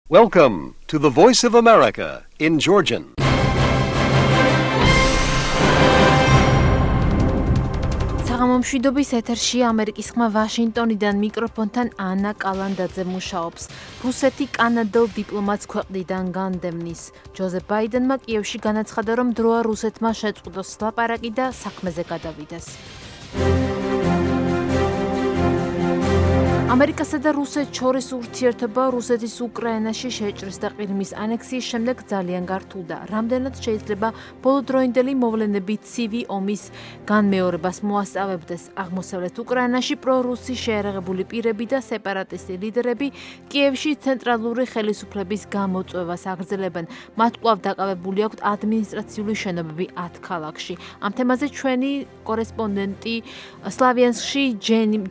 Welcome to the Voice of America in Georgian. საღამომშვიდობის ეთერში ამერიკის ხმა ვაშინგტონიდან მიკროფონთან ანა კალანდაძე მუშაობს. რუსეთი კანადელ დიპლომატს ქვეყნიდან განდევნის. ჯოზეფ ბაიდენმა კიევში განაცხადა, რომ დროა რუსეთმა შეწყვიტოს ლაპარაკი და საქმეზე გადავიდეს. ამერიკასა და რუსეთს შორის ურთიერთობა რუსეთის უკრაინაში შეჭრის და ყირიმის ანექსიის შემდეგ ძალიან გართულდა. რამდენად შეიძლება ბოლოდროინდელი მოვლენები ცივი ომის განმეორებას მოასწავებდეს. აღმოსავლეთ უკრაინაში პრორუსი შეერაღებული პირები და სეპარატისტი ლიდერები კიევში ცენტრალური ხელისუფლების გამოწვევას აგრძელებენ. მათ კვლავ დაკავებული აქვთ ადმინისტრაციული შენობები 10 ქალაქში. ამ თემაზე ჩვენი კორესპონდენტი სლავიანსკში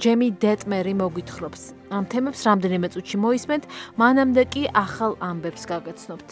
ჯემი დეტმერი მოგვითხრობს. ამ თემებს რამდენიმე წუთში მოისმენთ, მანამდე კი ახალ ამბებს გაგაცნობთ.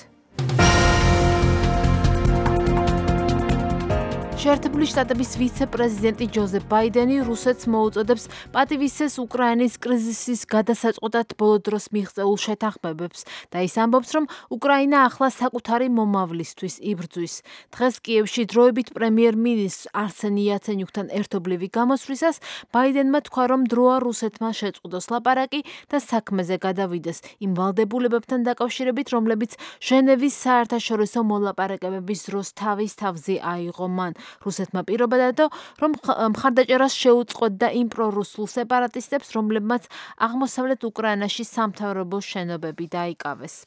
შეერთებული შტატების ვიცე-პრეზიდენტი ჯოზეფ ბაიდენი რუსეთს მოუწოდებს პატივისცეს უკრაინის კრიზისის გადასაწყვეტად ბოლო დროს მიღწეულ შეთანხმებებს და ის ამბობს, რომ უკრაინა ახლა საკუთარი მომავლისთვის იბრძვის. დღეს კიევში დროებით პრემიერ-მინისტრ არსენი იაცენიუკთან ერთობლივი გამოსვლისას ბაიდენმა თქვა, რომ დროა რუსეთმა შეწყვიტოს ლაპარაკი და საქმეზე გადავიდეს იმ ვალდებულებებთან დაკავშირებით, რომლებიც ჟენევის საერთაშორისო მოლაპარაკებების დროს თავის თავზე აიღო მან. რუსეთმა პირობა დადო, რომ მხარდაჭერას შეუწყოთ და იმ პრორუსულ სეპარატისტებს, რომლებმაც აღმოსავლეთ უკრაინაში სამთავრობო შენობები დაიკავეს.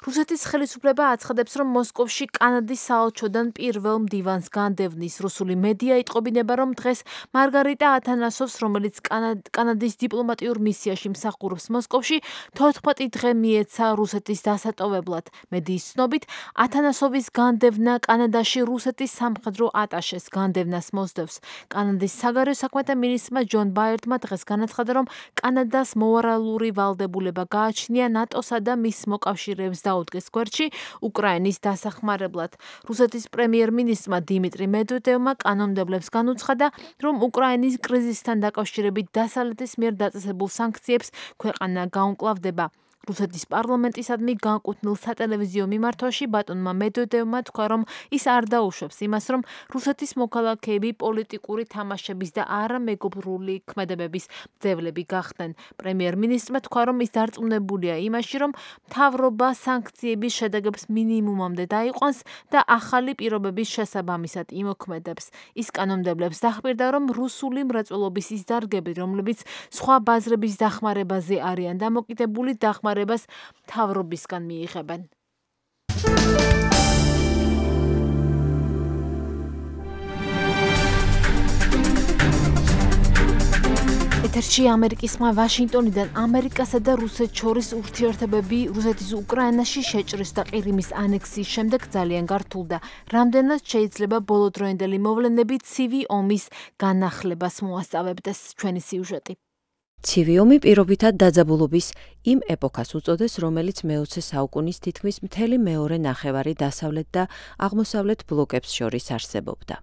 რუსეთის ხელისუფლება აცხადებს, რომ მოსკოვში კანადის საელჩოდან პირველ მდივანს განდევნის. რუსული მედია იტყობინება, რომ დღეს მარგარიტა ათანასოვს, რომელიც კანადის დიპლომატიურ მისიაში მსახურობს მოსკოვში, 14 დღე მიეცა რუსეთის დასატოვებლად. მედიის ცნობით, ათანასოვის განდევნა კანადაში რუსეთის სამხედრო ატაშეს განდევნას მოსდევს. კანადის საგარეო საქმეთა მინისტრმა ჯონ ბაირდმა დღეს განაცხადა, რომ კანადას მორალური ვალდებულება გააჩნია ნატოსა და მის მოკავშირეებს დაუდგეს გვერდში უკრაინის დასახმარებლად. რუსეთის პრემიერ-მინისტრმა დიმიტრი მედვედევმა კანონმდებლებს განუცხადა, რომ უკრაინის კრიზისთან დაკავშირებით დასავლეთის მიერ დაწესებულ სანქციებს ქვეყანა გაუმკლავდება. რუსეთის პარლამენტისადმი განკუთვნილ სატელევიზიო მიმართვაში ბატონმა მედვედევმა თქვა, რომ ის არ დაუშვებს იმას, რომ რუსეთის მოქალაქეები პოლიტიკური თამაშების და არა მეგობრული ქმედებების მძევლები გახდნენ. პრემიერ-მინისტრმა თქვა, რომ ის დარწმუნებულია იმაში, რომ მთავრობა სანქციების შედეგებს მინიმუმამდე დაიყვანს და ახალი პირობების შესაბამისად იმოქმედებს. ის კანონმდებლებს დახმირდა, რომ რუსული მრეწველობის ის დარგები, რომლებიც სხვა ბაზრების დახმარებაზე არიან დამოკიდებული, დახმარებას მთავრობისგან მიიღებენ. ეთერში ამერიკის ხმა ვაშინგტონიდან ამერიკასა და რუსეთს შორის ურთიერთობები რუსეთის უკრაინაში შეჭრის და ყირიმის ანექსიის შემდეგ ძალიან გართულდა. რამდენად შეიძლება ბოლოდროინდელი მოვლენები ცივი ომის განახლებას მოასწავებდეს. ჩვენი სიუჟეტი. ცივი ომი პირობითად დაძაბულობის იმ ეპოქას უწოდეს, რომელიც მე-20 საუკუნის თითქმის მთელი მეორე ნახევარი დასავლეთ და აღმოსავლეთ ბლოკებს შორის არსებობდა.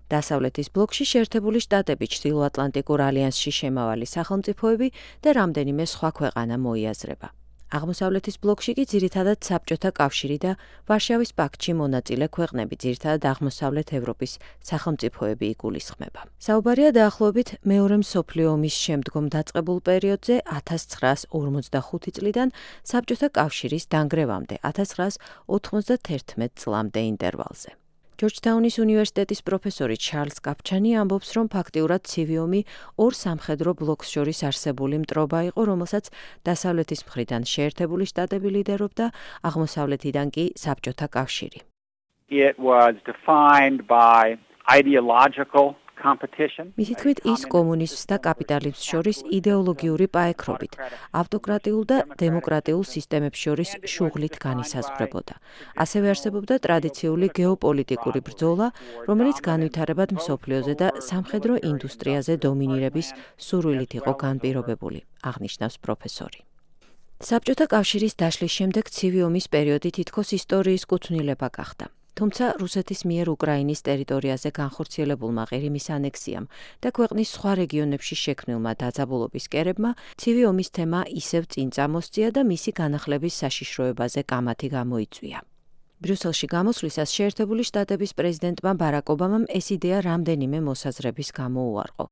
დასავლეთის ბლოკში შეერთებული შტატები, ჩრდილოატლანტიკურ ალიანსში შემავალი სახელმწიფოები და რამდენიმე სხვა ქვეყანა მოიაზრება. აღმოსავლეთის ბლოკში კი ძირითადად საბჭოთა კავშირი და ვარშავის პაქტში მონაწილე ქვეყნები, ძირითადად აღმოსავლეთ ევროპის სახელმწიფოები იგულისხმება. საუბარია დაახლოებით მეორე მსოფლიო ომის შემდგომ დაწყებულ პერიოდზე 1945 წლიდან საბჭოთა კავშირის დანგრევამდე 1991 წლამდე ინტერვალზე. ჯორჯთაუნის უნივერსიტეტის პროფესორი ჩარლზ კაპჩანი ამბობს, რომ ფაქტიურად ცივი ომი ორ სამხედრო ბლოკს შორის არსებული მტრობა იყო, რომელსაც დასავლეთის მხრიდან შეერთებული შტატები ლიდერობდა, აღმოსავლეთიდან კი საბჭოთა კავშირი. It was defined by ideological competition. მისი თქმით, ის კომუნიზმს და კაპიტალიზმს შორის იდეოლოგიური პაექრობით, ავტოკრატიულ და დემოკრატიულ სისტემებს შორის შუღლით განისაზღვრებოდა. ასევე არსებობდა ტრადიციული გეოპოლიტიკური ბრძოლა, რომელიც განვითარებად მსოფლიოზე და სამხედრო ინდუსტრიაზე დომინირების სურვილით იყო განპირობებული, აღნიშნავს პროფესორი. საბჭოთა კავშირის დაშლის შემდეგ ცივი ომის პერიოდი თითქოს ისტორიის კუთვნილება გახდა. თუმცა რუსეთის მიერ უკრაინის ტერიტორიაზე განხორციელებულმა ყირიმის ანექსიამ და ქვეყნის სხვა რეგიონებში შექმნილმა დაძაბულობის კერებმა ცივი ომის თემა ისევ წინ წამოსწია და მისი განახლების საშიშროებაზე კამათი გამოიწვია. ბრიუსელში გამოსვლისას შეერთებული შტატების პრეზიდენტმა ბარაკ ობამამ ეს იდეა რამდენიმე მოსაზრების გამო უარყო.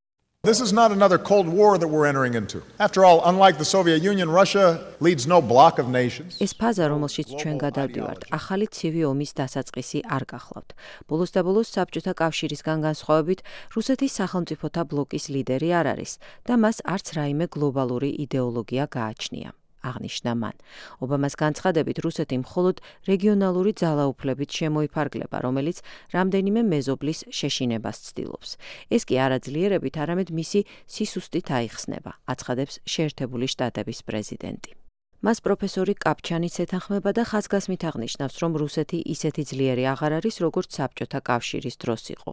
This is not another Cold War that we're entering into. After all, unlike the Soviet Union, Russia leads no bloc of nations. ეს ფაზა, რომელშიც ჩვენ გადავდივართ, ახალი ცივი ომის დასაწყისი არ გახლავთ. ბოლოს და ბოლოს საბჭოთა კავშირისგან განსხვავებით, რუსეთის სახელმწიფოთა ბლოკის ლიდერი არ არის და მას არც რაიმე გლობალური იდეოლოგია გააჩნია. აღნიშნა მან. ობამას განცხადებით, რუსეთი მხოლოდ რეგიონალური ძალაუფლებით შემოიფარგლება, რომელიც რამდენიმე მეზობლის შეშინებას ცდილობს. ეს კი არა ძლიერებით, არამედ მისი სისუსტით აიხსნება, აცხადებს შეერთებული შტატების პრეზიდენტი. მას პროფესორი კაპჩანიც ეთანხმება და ხაზგასმით აღნიშნავს, რომ რუსეთი ისეთი ძლიერი აღარ არის, როგორც საბჭოთა კავშირის დროს იყო.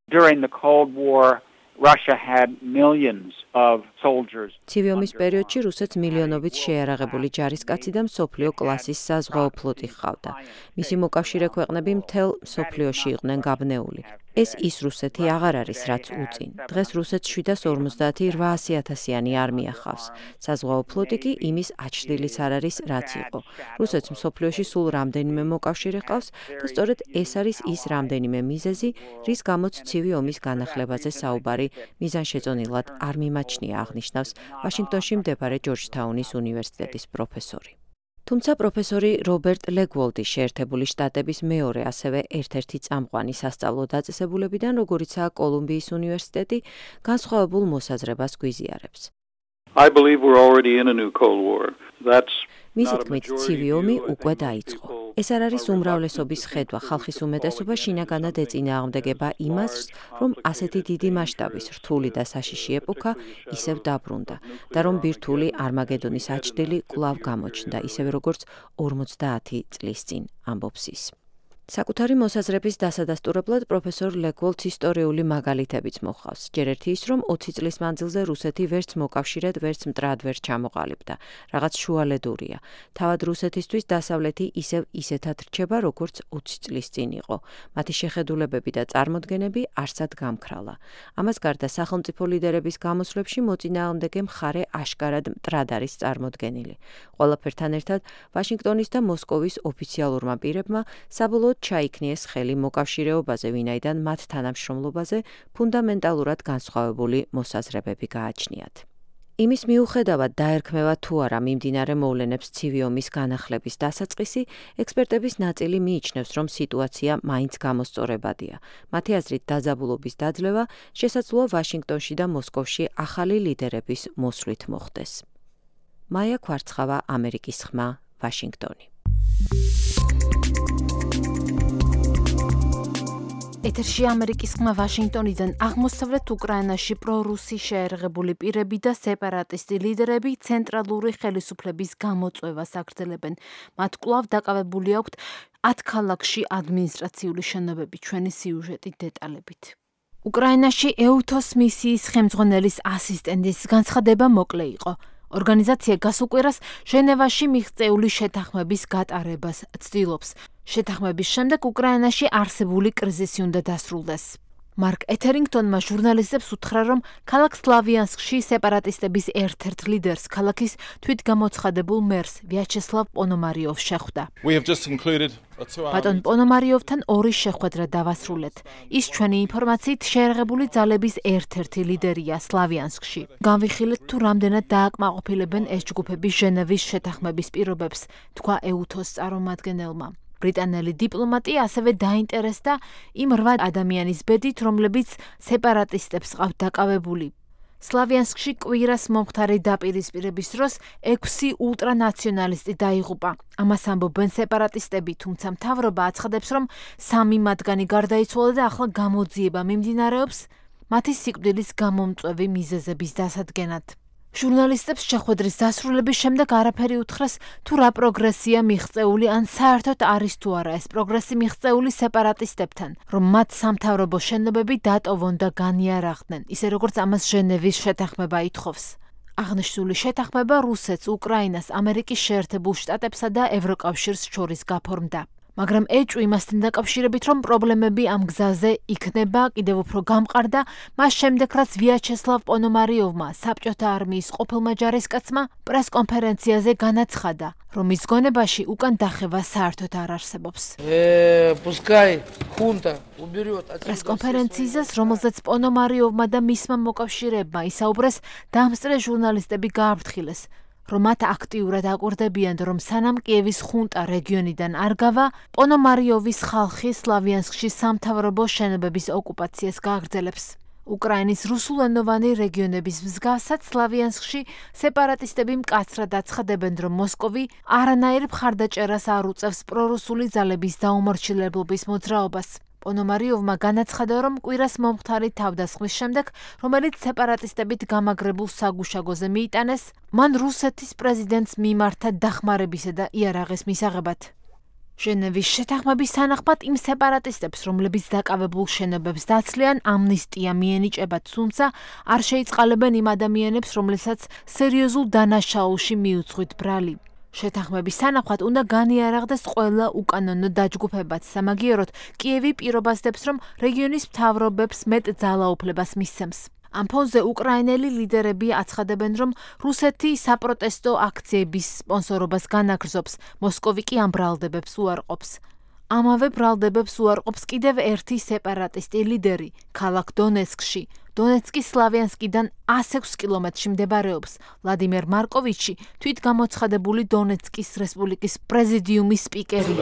During the Cold War, Russia had millions of soldiers. ცივი ომის პერიოდში რუსეთს მილიონობით შეიარაღებული ჯარისკაცი და მსოფლიო კლასის საზღვაო ფლოტი ჰყავდა. მისი მოკავშირე ქვეყნები მთელ მსოფლიოში იყვნენ გაბნეული. ეს ის რუსეთი აღარ არის, რაც უწინ. დღეს რუსეთს 758,000-იანი არმია ჰყავს. საზღვაო ფლოტი კი იმის აჩრდილიც არ არის, რაც იყო. რუსეთს მსოფლიოში სულ რამდენიმე მოკავშირე ჰყავს და სწორედ ეს არის ის რამდენიმე მიზეზი, რის გამოც ცივი ომის განახლებაზე საუბარი მიზანშეწონილად არ მიმაჩნია, აღნიშნავს ვაშინგტონში მდებარე ჯორჯთაუნის უნივერსიტეტის პროფესორი. თუმცა პროფესორი რობერტ ლეგვოლდი შეერთებული შტატების მეორე, ასევე ერთ-ერთი წამყვანი სასწავლო დაწესებულებიდან, როგორიცაა კოლუმბიის უნივერსიტეტი, განსხვავებულ მოსაზრებას გვიზიარებს. I believe we're already in a new Cold War. That's მისი თქმით, ცივი ომი უკვე დაიწყო. ეს არ არის უმრავლესობის ხედვა, ხალხის უმეტესობა შინაგანად ეწინააღმდეგება იმას, რომ ასეთი დიდი მასშტაბის რთული და საშიში ეპოქა ისევ დაბრუნდა და რომ ბირთვული არმაგედონის აჩრდილი კვლავ გამოჩნდა, ისევე როგორც 50 წლის წინ, ამბობს ის. საკუთარი მოსაზრების დასადასტურებლად პროფესორ ლეგვოლდს ისტორიული მაგალითებიც მოჰყავს. ჯერ ერთი ის, რომ 20 წლის მანძილზე რუსეთი ვერც მოკავშირედ, ვერც მტრად ვერ ჩამოყალიბდა. რაღაც შუალედურია. თავად რუსეთისთვის დასავლეთი ისეთად რჩება, როგორც 20 წლის წინ იყო. მათი შეხედულებები და წარმოდგენები არსად გამქრალა. ამას გარდა სახელმწიფო ლიდერების გამოსვლებში მოწინააღმდეგე მხარე აშკარად მტრად არის წარმოდგენილი. ყველაფერთან ერთად ვაშინგტონის და მოსკოვის ოფიციალურმა პირებმა საბოლოოდ ჩაიქნიეს ხელი მოკავშირეობაზე, ვინაიდან მათ თანამშრომლობაზე ფუნდამენტალურად განსხვავებული მოსაზრებები გააჩნიათ. იმის მიუხედავად დაერქმევა თუ არა მიმდინარე მოვლენებს ცივი ომის განახლების დასაწყისი, ექსპერტების ნაწილი მიიჩნევს, რომ სიტუაცია მაინც გამოსწორებადია. მათი აზრით, დაძაბულობის დაძლევა შესაძლოა ვაშინგტონში და მოსკოვში ახალი ლიდერების მოსვლით მოხდეს. მაია კვარცხავა, ამერიკის ხმა, ვაშინგტონი. ეთერში ამერიკის ხმა ვაშინგტონიდან. აღმოსავლეთ უკრაინაში პრორუსი შეერაღებული პირები და სეპარატისტი ლიდერები ცენტრალური ხელისუფლების გამოწვევას აგრძელებენ. მათ კვლავ დაკავებული აქვთ 10 ქალაქში ადმინისტრაციული შენობები. ჩვენი სიუჟეტი დეტალებით. უკრაინაში EUTOS მისიის ხელმძღვანელის ასისტენტის განცხადება მოკლე იყო. ორგანიზაცია გასუკვირას ჟენევაში მიღწეული შეთანხმების გატარებას ცდილობს. შეთანხმების შემდეგ უკრაინაში არსებული კრიზისი უნდა დასრულდეს. მარკ ეთერინგტონმა ჟურნალისტებს უთხრა, რომ ქალაქ სლავიანსკში სეპარატისტების ერთ-ერთ ლიდერს, ქალაქის თვითგამოცხადებულ მერს ვიაჩესლავ პონომარიოვს შეხვდა. ბატონ პონომარიოვთან 2 შეხვედრა დავასრულეთ. ის ჩვენი ინფორმაციით შეერაღებული ძალების ერთ-ერთი ლიდერია სლავიანსკში. განვიხილეთ თუ რამდენად დააკმაყოფილებენ ეს ჯგუფები ჟენევის შეთანხმების პირობებს, თქვა EUTOS წარმომადგენელმა. ბრიტანელი დიპლომატი ასევე დაინტერესდა იმ 8 ადამიანის ბედით, რომლებიც სეპარატისტებს ყავთ დაკავებული. სლავიანსკში კვირას მომხდარი დაპირისპირების დროს 6 ულტრანაციონალისტი დაიღუპა. ამას ამბობენ სეპარატისტები, თუმცა მთავრობა აცხადებს, რომ 3 მათგანი გარდაიცვალა და ახლა გამოძიება მიმდინარეობს მათი სიკვდილის გამომწვევი მიზეზების დასადგენად. ჟურნალისტებს შეხვედრის დასრულების შემდეგ არაფერი უთხრეს თუ რა პროგრესია მიღწეული ან საერთოდ არის თუ არა ეს პროგრესი მიღწეული სეპარატისტებთან, რომ მათ სამთავრობო შენობები დატოვონ და განიარაღდნენ, ისე როგორც ამას ჟენევის შეთანხმება ითხოვს. აღნიშნული შეთანხმება რუსეთს, უკრაინას, ამერიკის შეერთებულ შტატებსა და ევროკავშირს შორის გაფორმდა. მაგრამ ეჭვი იმასთან დაკავშირებით, რომ პრობლემები ამ გზაზე იქნება კიდევ უფრო გამყარდა, მას შემდეგ, რაც ვიაჩესლავ პონომარიოვმა, საბჭოთა არმიის ყოფილმა ჯარისკაცმა, პრესკონფერენციაზე განაცხადა, რომ მის გონებაში უკან დახევა საერთოდ არ არსებობს. პრესკონფერენციისას, რომელზეც პონომარიოვმა და მისმა მოკავშირეებმა ისაუბრეს, დამსწრე ჟურნალისტები გააფრთხილეს, რომ მათ აქტიურად აკვირდებიან, რომ სანამ კიევის ხუნტა რეგიონიდან არ გავა, პონომარიოვის ხალხი სლავიანსკში სამთავრობო შენობების ოკუპაციას გააგრძელებს. უკრაინის რუსულენოვანი რეგიონების მსგავსად სლავიანსკში სეპარატისტები მკაცრად აცხადებენ, რომ მოსკოვი არანაირ მხარდაჭერას არ უწევს პრორუსული ძალების დაუმორჩილებლობის მოძრაობას. პონომარიოვმა განაცხადა, რომ კვირას მომხდარი თავდასხმის შემდეგ, რომელიც სეპარატისტებით გამაგრებულ საგუშაგოზე მიიტანეს, მან რუსეთის პრეზიდენტს მიმართა დახმარებისა და იარაღის მისაღებად. ჟენევის შეთანხმების თანახმად იმ სეპარატისტებს, რომლებიც დაკავებულ შენობებს დაცლიან, ამნისტია მიენიჭებათ, თუმცა არ შეიწყალებენ იმ ადამიანებს, რომლებსაც სერიოზულ დანაშაულში მიუძღვით ბრალი. შეთანხმების თანახმად უნდა განიარაღდეს ყველა უკანონო დაჯგუფებაც, სამაგიეროდ კიევი პირობასდებს, რომ რეგიონის მთავრობებს მეტ ძალაუფლებას მისცემს. ამ ფონზე უკრაინელი ლიდერები აცხადებენ, რომ რუსეთი საპროტესტო აქციების სპონსორობას განაგრძობს, მოსკოვი კი ამ ბრალდებებს უარყოფს. ამავე ბრალდებებს უარყოფს კიდევ ერთი სეპარატისტი ლიდერი, ქალაქ დონეცკში. დონეცკის სლავიანსკიდან 106 კილომეტრში მდებარეობს ვლადიმერ მარკოვიჩი, თვითგამოცხადებული დონეცკის რესპუბლიკის პრეზიდიუმის სპიკერი.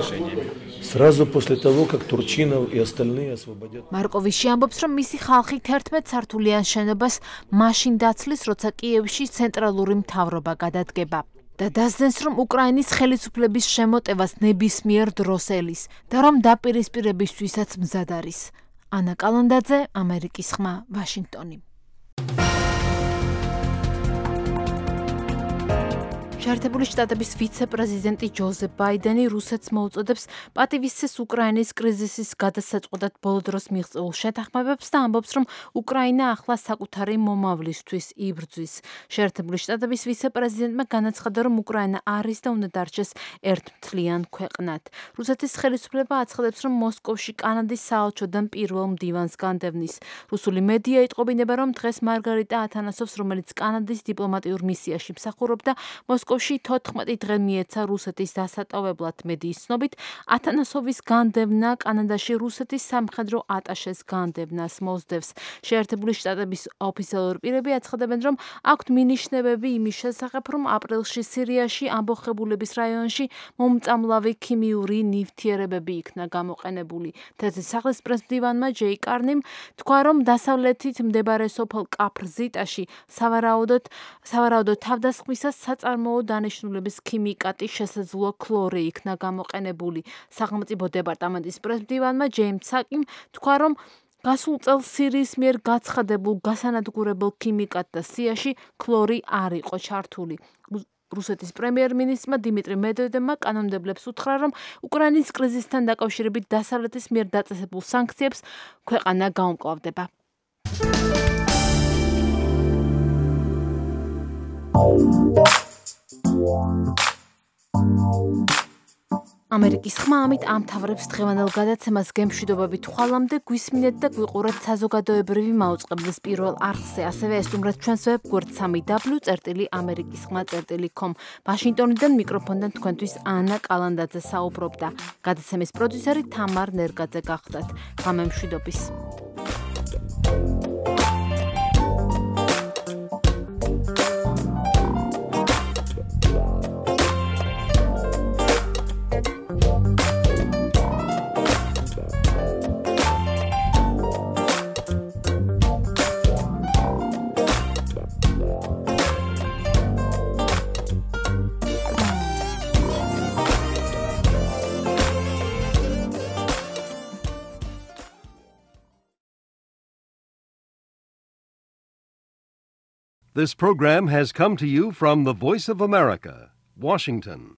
მარკოვიჩი ამბობს, რომ მისი ხალხი 11 სართულიან შენობას მაშინ დაცლის, როცა კიევში ცენტრალური მთავრობა გადადგება. და დასძენს, რომ უკრაინის ხელისუფლების შემოტევას ნებისმიერ დროს ელის და რომ დაპირისპირებისთვისაც მზად არის. ანა კალანდაძე, ამერიკის ხმა, ვაშინგტონი. შეერთებული შტატების ვიცე-პრეზიდენტი ჯოზეფ ბაიდენი რუსეთს მოუწოდებს პატივისცეს უკრაინის კრიზისის გადასაწყვეტად ბოლო დროს მიღწეულ შეთანხმებებს და ამბობს, რომ უკრაინა ახლა საკუთარი მომავლისთვის იბრძვის. შეერთებული შტატების ვიცე-პრეზიდენტმა განაცხადა, რომ უკრაინა არის და უნდა დარჩეს ერთმთლიან ქვეყნად. რუსეთის ხელისუფლება აცხადებს, რომ მოსკოვში კანადის საელჩოდან პირველ მდივანს განდევნის. რუსული მედია იტყობინება, რომ დღეს მარგარიტა ათანასოვს, რომელიც კანადის დიპლომატიურ მისიაში მსახურობდა, მოსკოვში 14 დღე მიეცა რუსეთის დასატოვებლად. მედიის ცნობით, ათანასოვის განდევნა კანადაში რუსეთის სამხედრო ატაშეს განდევნას მოსდევს. შეერთებული შტატების ოფიციალური პირები აცხადებენ, რომ აქვთ მინიშნებები იმის შესახებ, რომ აპრილში სირიაში ამბოხებულების რაიონში მომწამლავი ქიმიური ნივთიერებები იქნა გამოყენებული. თეთრი სახლის პრესმდივანმა ჯეი კარნიმ თქვა, რომ დასავლეთით მდებარე სოფელ კაფრ-ზიტაში სავარაუდოდ თავდასხმისას საწარმოო დანიშნულების ქიმიკატი შესაძლოა ქლორი იქნა გამოყენებული. სახელმწიფო დეპარტამენტის პრესმდივანმა ჯეიმს საკიმ თქვა, რომ გასულ წელს სირიის მიერ გაცხადებულ გასანადგურებელ ქიმიკატთა სიაში ქლორი არ იყო ჩართული. რუსეთის პრემიერ-მინისტრმა დიმიტრი მედვედევმა კანონმდებლებს უთხრა, რომ უკრაინის კრიზისთან დაკავშირებით დასავლეთის მიერ დაწესებულ სანქციებს ქვეყანა გაუმკლავდება. ამერიკის ხმა ამით ამთავრებს დღევანდელ გადაცემას. გემშვიდობებით ხვალამდე, გვისმინეთ და გვიყურეთ საზოგადოებრივი მაუწყებლის პირველ არხზე. ასევე ესტუმრეთ ჩვენს ვებგვერდ www.amerikiskhma.com. ვაშინგტონიდან მიკროფონიდან თქვენთვის ანა კალანდაძე საუბრობდა. გადაცემის პროდიუსერი თამარ ნერგაძე გახლდათ. გამემშვიდობის. This program has come to you from the Voice of America, Washington.